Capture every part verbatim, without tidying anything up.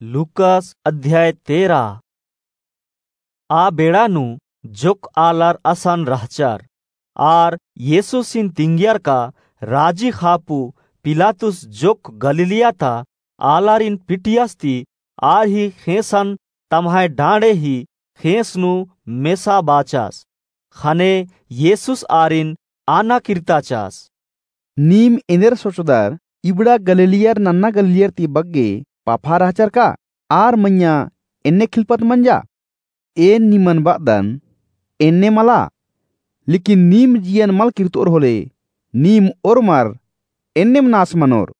लूकास अध्याय तेरा। आ बेड़ा नू जोक्क आलर असन रहचर। आर येसुसिन तिंगियर का राजी ख़ापू पिलातुस जोक्क गलीलिया ता आलारिन पिटियस ती आर ही ख़ेंसन तम्है डाँड़े ही ख़ेंस नू मेसा बाचस। ख़ने येसुस आरिन आना किर्ताचस। नीम एन्देर सोचदर, इबड़ा गलीलियर नन्ना गलीलियर ती बग्गे पाफा रहचर का? आर मइय्याँ एन्ने खिलपत मंजा? एन निमन बअदन, एन्ने मला। लेकिन नीम जियन मल किर्तओर होले, नीम ओर्मर एन्नेम नास मनोर।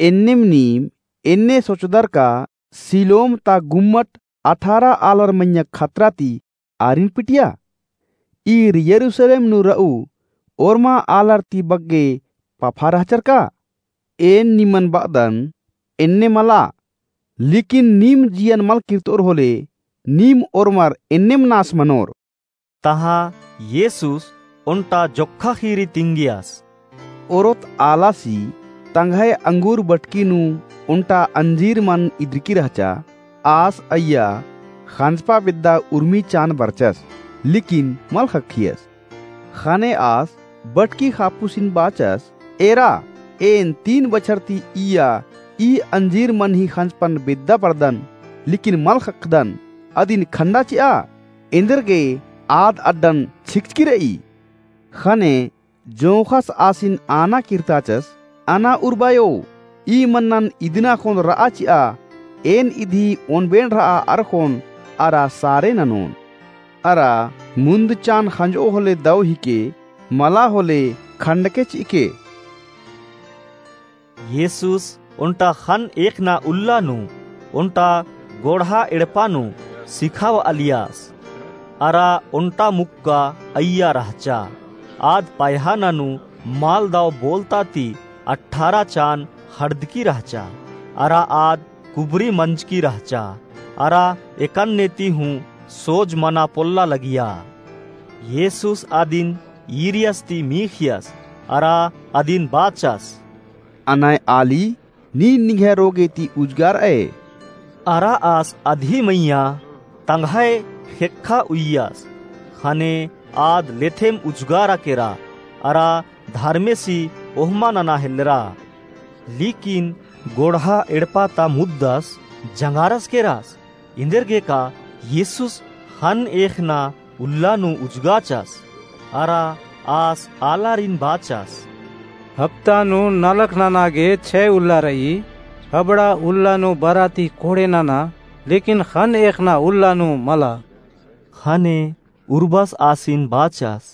एन्नेम नीम एन्ने सोचदर का सिलोम ता गुम्मट अठारह आलर मइय्याँ खतरा ती आरिन पिटिया? ईर यरूसलेम नू रऊ ओर्मा आलर ती बग्गे पाफा रहचर का? एन निमन बअदन, एन्ने मला। लेकिन नीम जियन मल किर्तओर होले, नीम ओर्मर एन्नेम नास मनोर। तहाँ येसुस ओन्टा जोक्खा ख़ीरी तिंगियस। ओरोत आलासी तंग्है अंगूर बटकी नू ओन्टा अंजीर मन इदरकी रहचा। आस अइय्या ख़ंजपा बेद्दा उर्मी चान बरचस, लेकिन मल ख़क्खियस। ख़ने आस बटकी ख़ापुसिन बाचस, एरा, एन तीन बछर ती इय्या ई अंजीर मन ही ख़ंजपन बेद्दा परदन, लेकिन मल ख़क्खदन। अदिन खंडा चिआ, एन्देरगे आद अड्डन छिकचकी रई। ख़ने जोंख़स आसिन आना किर्ताचस, अना उर्बायो, ई मन्नन इदना ख़ोन रआ चिआ, एन इदी ओनबेन रआ अरख़ोन अरा सारे ननोन। अरा मुन्द चान ख़ंजओ होले दव हिके, मला होले खंडके चिके। येसुस ओन्टा ख़न्न एख़ना उल्ला नू ओन्टा गोड़हा एड़पा नू सिखाबआलियस। अरा ओन्टा मुक्का अइय्या रहचा। आद पायख़ाना नू मल दव बोलता ती अठारह चान ख़ड़दकी रहचा। अरा आद कुबरी मंजकी रहचा। अरा एकन्ने ती हूँ सोज मना पोल्ला लगिया। येसुस अदिन ईरियस ती मीख़ियस, अरा अदिन बाचस, अनय आली, नीन निंग्है रोगे ती उजगारअय। अरा आस अदी मइय्याँ तंग्है ख़ेक्खा उइय्यस, ख़ने आद लेथेम उजगारा केरा, अरा धर्मेसी ओहमा नना हेल्लरा। लेकिन गोड़हा एड़पा ता मुद्दस जंगारस केरस। एन्देरगे का येसुस ख़न्न एख़ना उल्ला नू उजगाचस, अरा आस आलारिन बाचस। हप्ता नू नलख नना गे छै उल्ला रई, अबड़ा उल्ला नू बरा ती कोड़े नना, लेकिन ख़न्न एख़ना उल्ला नू मला। ख़ने उर्बस आसिन बाचस।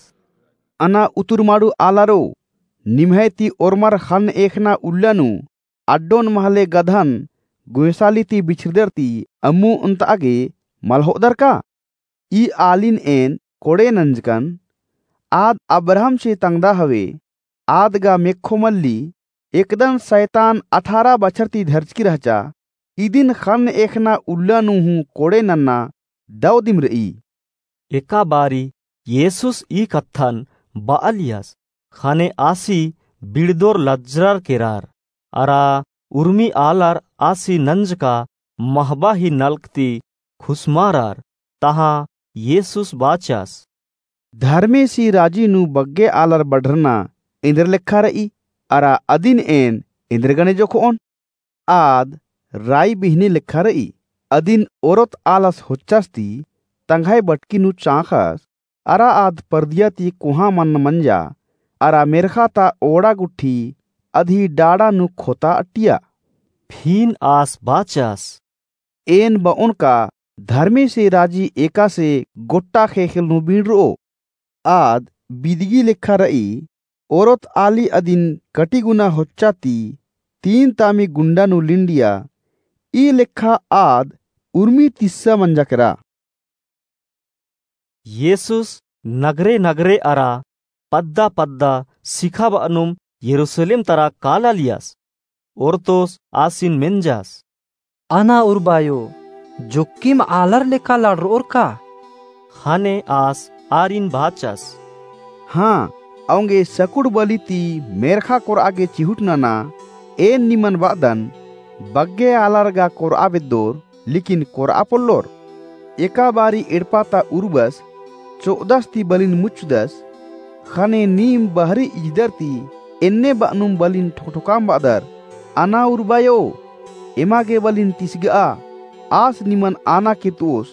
अना उतुरमाड़ू आलारो, निम्है ती ओर्मर ख़न्न एख़ना उल्ला नू अड्डोन महले गधन गोंयसाली ती बिछरदर ती अम्मु ओन्तआ गे मल होअदर का? ई आलिन एन कोड़े नंजकन, आद अब्राहमसे तंग्दा हवे, आद गा मेक्खो मल्ली, एकदन सैतान अठारह बछर ती धरचकी रहचा, इदिन ख़न्न एख़ना उल्ला नू हूँ कोड़े नन्ना दव दिम रई। एका बारी येसुस ई कत्थन बआलियस, ख़ने आसी बिड़दोर लज्जरर केरर, अरा उर्मी आलर आसी नंजका महबा ही नलख ती खुसमारर। तहाँ येसुस बाचस। धर्मेसी राजी नू बग्गे आलर बढ़रना एन्देर लेखा रई, अरा अदिन एन एन्देर गने जोखओन? आद राई बिहनी लेखा रई, अदिन ओरोत आलस होच्चस ती तंग्है बटकी नू चाँख़स, अरा आद परदिया ती कोहाँ मन्न मंजा, अरा मेर्ख़ा ता ओड़ा गुट्ठी अदी डाड़ा नू खोता अटिया। फिन आस बाचस। एन बओन का धर्मेसे राजी एकासे गोट्टा ख़ेख़ेल नू बींड़रओ। आद बिदगी लेखा रई, ओरोत आली अदिन कटिगुना होच्चा ती तीन तामी गुंडा नू लिंडिया, ई लेखा आद उर्मी तिस्सा मंजा केरा। येसुस नगरे नगरे अरा पद्दा पद्दा सिखाबअनुम यरूसलेम तरा कालालियस। ओर्तोस आसिन मेंजस। अना उर्बायो, जोक्किम आलर लेखा लड़रओर का? ख़ने आस आरिन बाचस। हाँ, औंगे सकुड़ बली ती मेर्ख़ा कोरआ गे चिहुट नना, एन निमन बअदन, बग्गे आलर गा कोरआ बेद्दोर, लेकिन कोरआ पोल्लोर। एका बारी एड़पा ता उर्बस चो'अदस ती बलिन मुच्चदस, ख़ने नीम बहरी इजदर ती एन्ने ब'अनुम बलिन ठोकठोकाम ब'अदर, अना उर्बायो, एमा गे बलिन तिसग'आ, आस निमन आना किर्त'ओस,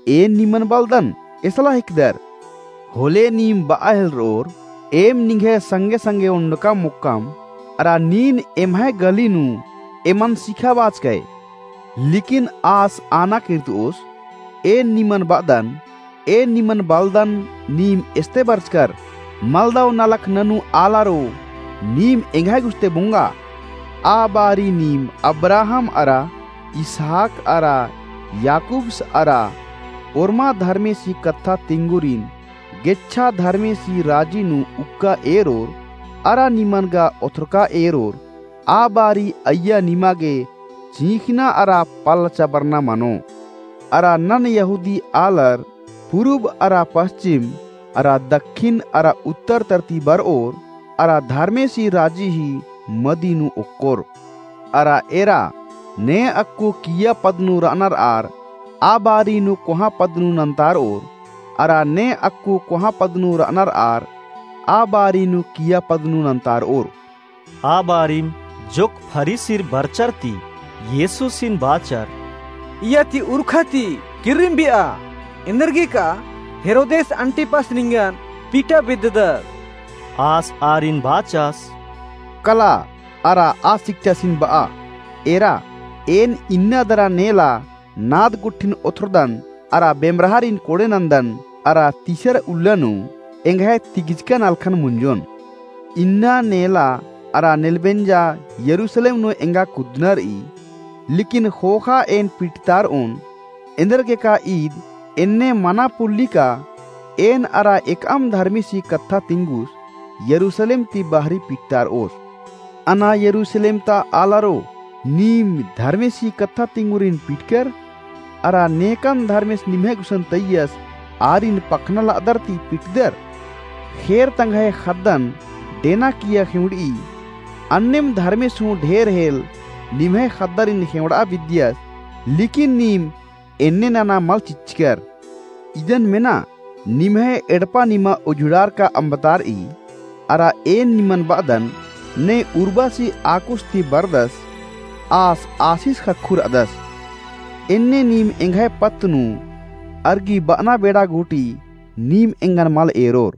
एन निमन बलदन, एसला हिकदर। होले नीम ब'आ हेलर'ओर, एम निंग्है संगे संगे ओन्डकाम मोक्कम, अरा नीन एम्है गली नू एमन सिखाबाचकय। लेकिन आस आना किर्त'ओस, एन निमन ब'अदन, एन निमन बलदन, नीम एस्ते बरचकर, मलदव नलख ननू आलारो, नीम एंग्है गुस्ते बोंगा। आ बारी नीम अब्राहम अरा इसहाक अरा याकूबस अरा ओर्मा धर्मेसी कत्था तिंगुरिन गेच्छा धर्मेसी राजी नू उक्का एरोर अरा निमन गा ओथरका एरोर। आ बारी अइय्या निमा गे चींख़ना अरा पल्ला चबरना मनो। अरा नन यहूदी आलर पुरुब अरा पश्चिम अरा दक्खिन अरा उत्तर तरती बर'ओर अरा धर्मेसी राजी ही मदी नू ओक्कोर। अरा एरा ने अक्कु किय्या पद नू र'अनर आर, आ बारी नू कोहाँ पद नू नन्तार'ओर, अरा ने अक्कु कोहाँ पद नू र'अनर आर, आ बारी नू किय्या पद नू नन्तार'ओर। आ बारिम जोक्क फरीसिर बरचर ती येसुसिन बाचर, इय्या ती उरखा ती किर्रिम बि'आ, एन्देरगे का हेरोदेस अंटिपस निंगन पीटा बेद्ददस। आस आरिन बाचस, कला, अरा आ सिकटासिन ब'आ, एरा, एन इन्ना दरा नेला नाद गुट्ठिन ओथरदन, अरा बेमराहरिन कोड़े नन्दन, अरा तीसर उल्ला नू एंग्है तिगिचका नलखन मुंजोन। इन्ना नेला अरा नेलबेंजा यरूसलेम नू एंगा कुद्दनर ई, लेकिन ख़ोख़ा एन पिटतार'ओन, एन्देरगे का ईद एन्ने मना पोल्ली का एन अरा एकअम धर्मेसी कत्था तिंगुस यरूसलेम ती बहरी पिटतार'ओस। अना यरूसलेम ता आलारो, नीम धर्मेसी कत्था तिंगुरिन पिटकर, अरा नेकन धर्मेस निम्है गुसन तइयस आरिन पखना ल'अदर ती पिटदर। ख़ेर तंग्है ख़द्दन डेना किय्या ख़ेंवड़'ई, अन्नेम धर्मेस हूँ ढेर हेल निम्है ख़द्दारिन ख़ेंवड़'आ बिद्दियस, लेकिन नीम एन्ने नना मल चिच्चकर। इदन मेना, निम्है एड़पा निमा उझुड़ारका अम्बतार'ई, अरा एन निमन ब'अदन, ने उर्बासी आकुस ती बरदस, आस आसिस ख़क्खु र'अदस। एन्ने नीम एंग्है पत्त नू अरगी ब'अना बेड़ा गूटी नीम एंगन मल एरोर।